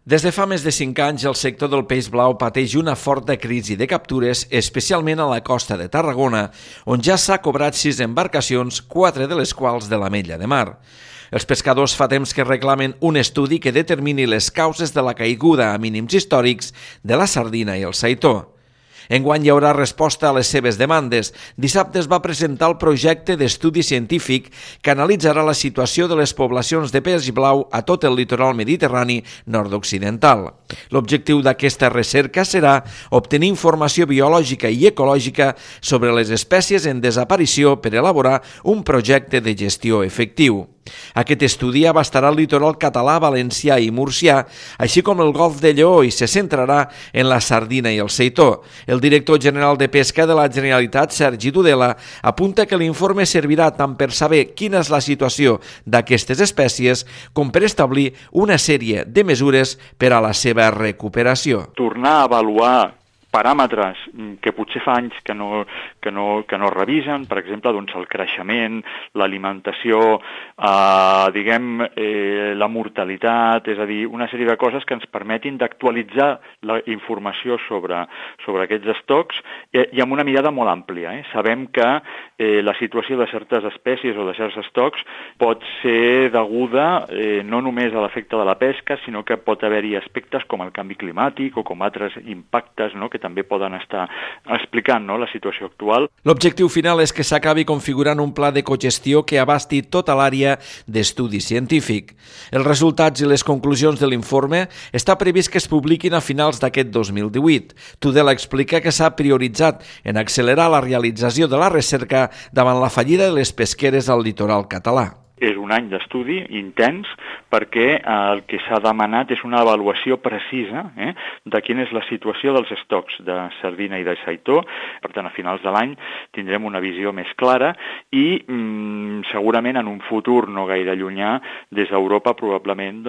Des de fa més de 5 anys, el sector del peix blau pateix una forta crisi de captures, especialment a la costa de Tarragona, on ja s'ha cobrat 6 embarcacions, 4 de les quals de l'Ametlla de Mar. Els pescadors fa temps que reclamen un estudi que determini les causes de la caiguda a mínims històrics de la sardina i el seitó. Enguany hi haurà resposta a les seves demandes. Dissabte es va presentar el projecte d'estudi científic que analitzarà la situació de les poblacions de peix blau a tot el litoral mediterrani nord-occidental. L'objectiu d'aquesta recerca serà obtenir informació biològica i ecològica sobre les espècies en desaparició per elaborar un projecte de gestió efectiu. Aquest estudi abastarà el litoral català, valencià i murcià, així com el golf de Lleó, i se centrarà en la sardina i el seitó. El director general de Pesca de la Generalitat, Sergi Tudela, apunta que l'informe servirà tant per saber quina és la situació d'aquestes espècies com per establir una sèrie de mesures per a la seva recuperació. Tornar a avaluar paràmetres que potser fa anys que no revisen, per exemple, doncs el creixement, l'alimentació, la mortalitat, és a dir, una sèrie de coses que ens permetin d'actualitzar la informació sobre aquests estocs i amb una mirada molt àmplia. Sabem que la situació de certes espècies o de certs estocs pot ser deguda no només a l'efecte de la pesca, sinó que pot haver-hi aspectes com el canvi climàtic o com altres impactes, que també poden estar explicant la situació actual. L'objectiu final és que s'acabi configurant un pla de cogestió que abasti tota l'àrea d'estudi científic. Els resultats i les conclusions de l'informe està previst que es publiquin a finals d'aquest 2018. Tudela explica que s'ha prioritzat en accelerar la realització de la recerca davant la fallida de les pesqueres al litoral català. És un any d'estudi intens perquè el que s'ha demanat és una avaluació precisa de quina és la situació dels estocs de sardina i de seitó. Per tant, a finals de l'any tindrem una visió més clara i segurament en un futur no gaire llunyà des d'Europa probablement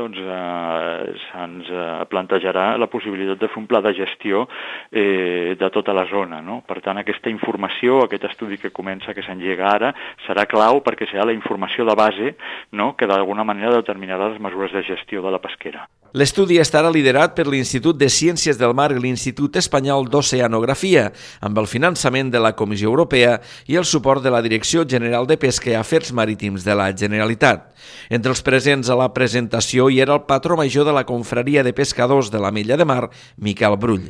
se'ns plantejarà la possibilitat de fer un pla de gestió de tota la zona. Per tant, aquesta informació, aquest estudi que comença, que s'engega ara, serà clau perquè serà la informació de base que d'alguna manera determinarà les mesures de gestió de la pesquera. L'estudi estarà liderat per l'Institut de Ciències del Mar i l'Institut Espanyol d'Oceanografia, amb el finançament de la Comissió Europea i el suport de la Direcció General de Pesca i Afers Marítims de la Generalitat. Entre els presents a la presentació hi era el patró major de la Confraria de Pescadors de l'Ametlla de Mar, Miquel Brull.